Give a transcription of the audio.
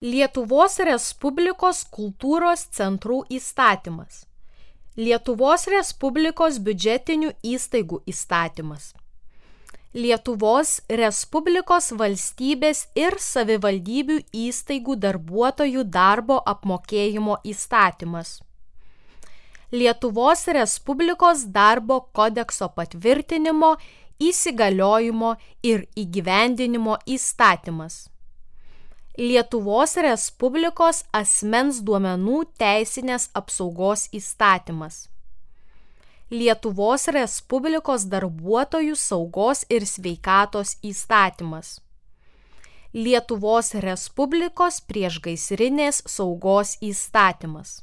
Lietuvos Respublikos kultūros centrų įstatymas. Lietuvos Respublikos biudžetinių įstaigų įstatymas. Lietuvos Respublikos valstybės ir savivaldybių įstaigų darbuotojų darbo apmokėjimo įstatymas. Lietuvos Respublikos darbo kodekso patvirtinimo, įsigaliojimo ir įgyvendinimo įstatymas. Lietuvos Respublikos asmens duomenų teisinės apsaugos įstatymas. Lietuvos Respublikos darbuotojų saugos ir sveikatos įstatymas. Lietuvos Respublikos priešgaisrinės saugos įstatymas.